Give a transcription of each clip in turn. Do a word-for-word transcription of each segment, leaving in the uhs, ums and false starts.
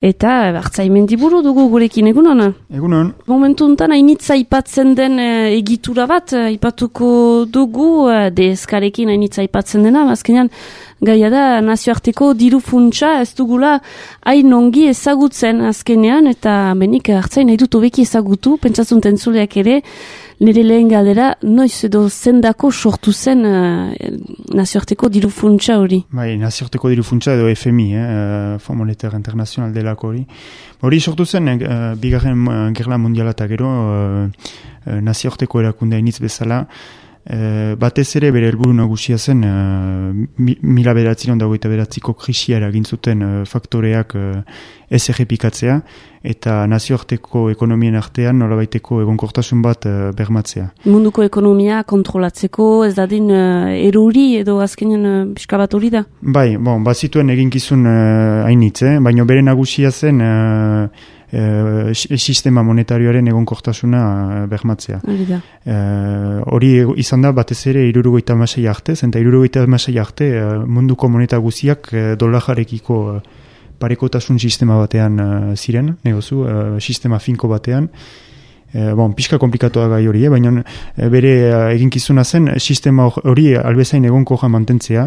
Eta Artzaimendiburu dugu gurekin, egunon? Egunon. Momentu untan hainitza aipatzen den e, egitura bat, aipatuko dugu, e, deeskarekin hainitza aipatzen dena, azkenean gaia da nazioarteko diru funtsa ez dugula hain ongi ezagutzen azkenean, eta benik Artzain nahi dut hobeki ezagutu, pentsatzen tentzuleak ere, nire lehen galdera, noiz edo zendako sortu zen uh, nazioarteko diru funtsa hori? Bai, nazioarteko diru funtsa edo F M I, eh, Fond Monetaire International delako hori. Hori sortu zen, uh, bigarren uh, gerla mundiala eta gero, uh, uh, nazioarteko erakundea initz bezala, Uh, batez ere bere helburu nagusia zen uh, mi, mila bederatziron dagoita beratziko krisia eragin zuten uh, faktoreak uh, ez errepikatzea eta nazioarteko ekonomien artean nolabaiteko egonkortasun bat uh, bermatzea. Munduko ekonomia kontrolatzeko ez dadin uh, eruri edo azkenen uh, pixka bat hori da? Bai, bon, bazituen eginkizun uh, hainitz, eh? Baina bere nagusia zen uh, Uh, sistema monetarioaren egonkortasuna uh, bermatzea. Hori uh, izan da batez ere hirurogeita hamasei arte, eta hirurogeita hamasei arte uh, munduko moneta guziak uh, dolarekiko uh, parekotasun sistema batean uh, ziren, negozu, uh, sistema finko batean. Uh, bon, pixka komplikatoa gai hori, eh? Baina uh, bere uh, eginkizuna zen sistema hori albezain egonkorra mantentzea.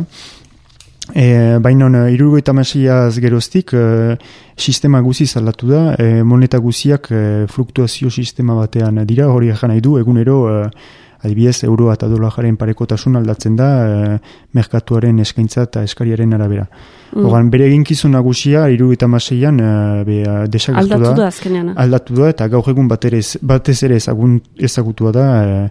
E, baina hirurogeita hamaseiaz geroztik e, sistema guziz aldatu da, e, moneta guziak e, fluktuazio sistema batean dira, hori egan nahi du, egunero e, adibidez euroa eta dolararen parekotasun aldatzen da e, merkatuaren eskaintza eta eskariaren arabera. Mm. Ogan, bere eginkizun nagusia hirurogeita hamaseian e, desagertu da. Aldatu da azkenean. Aldatu da eta gaur egun batez, batez ere ezagun, ezagutua da e,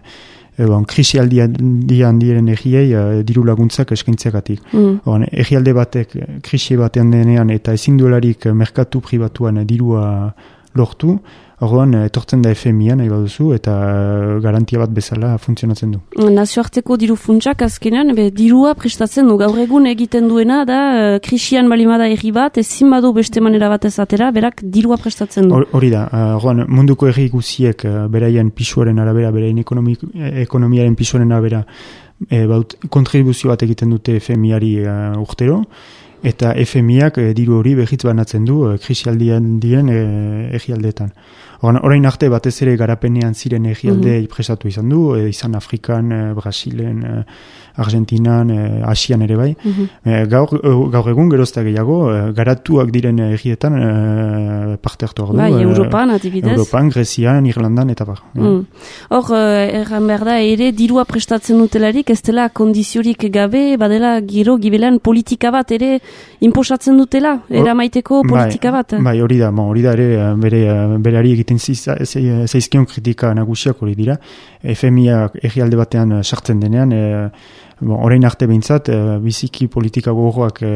Egon, krisi aldian diren egiei uh, diru laguntzak eskaintzeagatik. Mm. Egialde batek krisi batean denean eta ezin duelarik merkatu pribatuan dirua lortu, orduan etortzen da F M I-an, nahi baduzu, eta garantia bat bezala funtzionatzen du. Nazioarteko diru funtsak azkenean, be, dirua prestatzen du, gaur egun egiten duena da, uh, krisian balimada erri bat, ezin badu beste manera bat ezatera, berak dirua prestatzen du. Hori da, orduan uh, munduko erri guziek uh, beraien pisuaren arabera, beraien ekonomi, ekonomiaren pisuaren arabera, e, baut, kontribuzio bat egiten dute F M I-ari uh, urtero, eta F M I-ak e, diru hori behitz banatzen du e, krisialdian diren e, egialdeetan. Orain arte batez ere garapenean ziren egialde mm-hmm. prestatu izan du, e, izan Afrikan, e, Brasilen, e, Argentinan, e, Asian ere bai. Mm-hmm. e, gaur, gaur egun gerozta gehiago, e, garatuak diren egietan e, parte hartu ordu. Bai, Europan, adibidez. Europan, Grezian, Irlandan, eta bar. Mm. Hor, erran behar da, ere dirua prestatzen dutelarik, ez dela kondiziorik gabe, badela giro gibelan politika bat ere inposatzen dutela, eramaiteko politika bat. Bai, hori da, hori da ere bere, berari egiten zaizkion kritika nagusiak hori dira. F M I-ak egialde batean sartzen denean, e, bon, orain arte behintzat, e, biziki politika gogorrak e,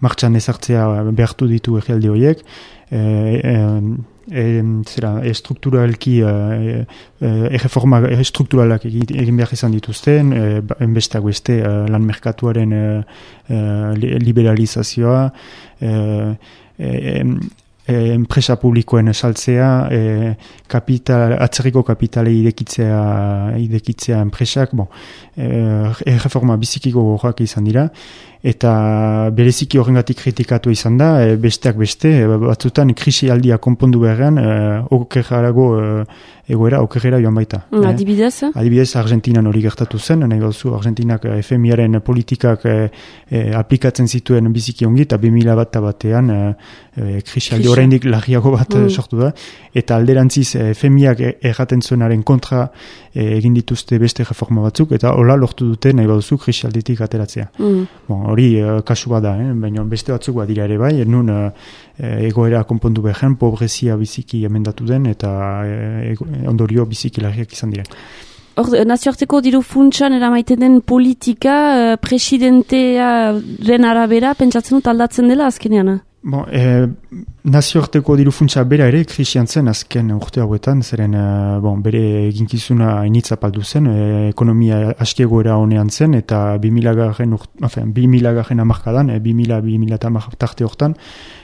martxan ezartzea behartu ditu egialde horiek, e, e, e, zera, estrukturalki e, e, erreforma estrukturalak egin behar izan dituzten, e, besteak beste e, lan merkatuaren e, e, liberalizazioa, e, e, E, enpresa publikoen esaltzea, e, kapital, atzerriko kapitale idekitzea, idekitzea enpresak, bon, e, erreforma bizikiko gorrak izan dira, eta bereziki horrengatik kritikatu izan da, e, besteak beste, e, batzutan krisi aldia konpondu beharrean, e, okerrarago e, egoera, okerrera joan baita. Mm, adibidez? E, adibidez, Argentinan hori gertatu zen, nahi gauzu, Argentinak F M I-aren politikak e, e, aplikatzen zituen biziki ongi, eta bi mila bat batean e, e, krisi aldi oraindik larriago bat mm. sortu da, eta alderantziz F M I-ak erraten zuenaren kontra e, egin dituzte beste reforma batzuk, eta hola lortu dute nahi baduzu krisi alditik ateratzea. Mm. Bon, hori e, kasu bada, eh? Baina beste batzuk badira ere bai, nun e, egoera konpondu behar, pobrezia biziki emendatu den, eta e, ondorio biziki larriak izan diren. Hor, nazioarteko diru funtsan eramaiten den politika presidentearen arabera pentsatzen dut aldatzen dela azkenean? Bon, e, nazioarteko diru funtsa bera ere krisian zen azken urte hauetan, zeren e, bon, bere eginkizuna initza paldu zen, e, ekonomia askiegoera honean zen, eta bi mila garren amarkadan, e, bi mila bi mila tarte hortan,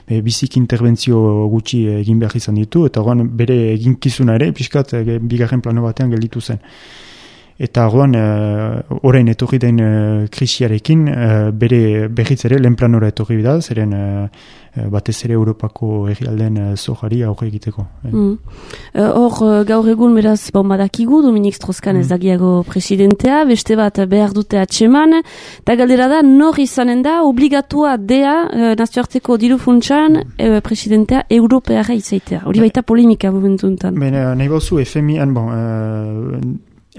e, bizik interbentzio gutxi egin behar izan ditu, eta oran bere eginkizuna ere, pixkat, e, bigarren plano batean gelditu zen. Eta orduan, uh, orain etorri den uh, krisiarekin, uh, bere berriz ere lehen planora etorri da, zeren uh, batez ere Europako herrialden uh, zojari aurre egiteko. Hor, mm. uh, gaur egun beraz, bon, badakigu, Dominik Strauss-Kahn mm. ez dagiago presidentea, beste bat behar dute atseman, eta galdera da, nor izanen da, obligatua dea, uh, nazioarteko diru funtsan, uh, presidentea europeara izaitea. Hori baita polemika momentu enten. Bene, nahi bauzu, F M I-an, bon, uh,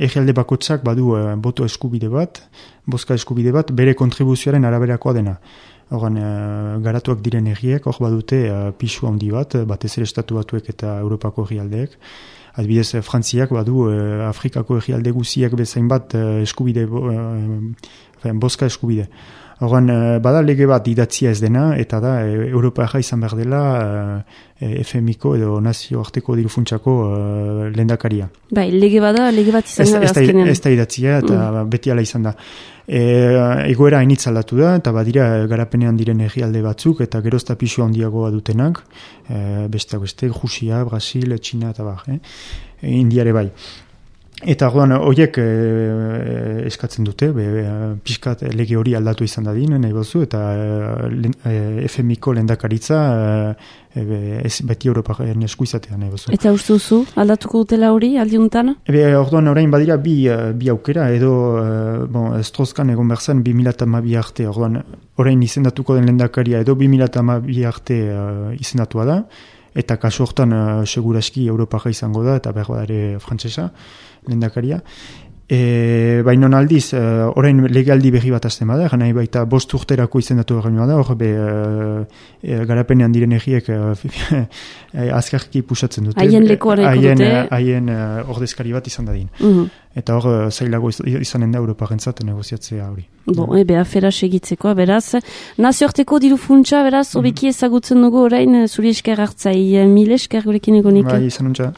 Egialde bakotzak badu uh, boto eskubide bat, bozka eskubide bat, bere kontribuzioaren araberakoa dena. Horan, uh, garatuak diren egiek, hor badute uh, pisu handi bat, batez ere estatu batuek eta Europako egialdeek. Adibidez, Frantziak badu uh, Afrikako egialde guziek bezain bat uh, eskubide, uh, bozka eskubide. Horan, uh, bada lege bat idatzia ez dena, eta da, e, Europaja izan behar dela uh, F M I-ko edo nazioarteko dirufuntsako uh, lehendakaria. Bai, lege bada, lege bat izan da azkenean. Ez da idatzia, eta mm. beti ala izan da. E, egoera hainitz aldatu da, eta badira garapenean diren herrialde batzuk, eta gerozta pisu handiagoa dutenak, e, besteak beste, Rusia, Brasil, Txina, eta bar, eh? E, Indiare bai. Eta orduan horiek e, eskatzen dute, be, pixkat lege hori aldatu izan dadin, nahi bozu, eta e, F M I-ko lehendakaritza e, ez beti Europaren esku izatea nahi bozu. Eta uste duzu, aldatuko dutela hori, aldiuntan? Ebe, orduan orain badira bi, bi aukera, edo bon, Strauss-Kahn egon berzan bi mila hamabi arte, orduan orain izendatuko den lehendakaria edo bi mila hamabi arte uh, izendatua da, eta kasu hortan uh, seguraski Europara izango da, eta behar ere frantsesa lehendakaria. E, baina aldiz, uh, orain legaldi berri bat azten bada, nahi baita bost urterako izendatu berri bada, hor be uh, e, garapenean diren egiek uh, azkarki pusatzen dute. Haien lekoareko dute. Haien uh, ordezkari bat izan dadin. Uh-huh. Eta hor, uh, zailago izanen da Europarentzat negoziatzea hori. Bo, no? Ebe, afera segitzeko, beraz. Nazioarteko diru funtsa, beraz, mm-hmm. obeki ezagutzen dugu orain, zuri esker hartzai, mil esker gurekin egonik. Bai, izan untza.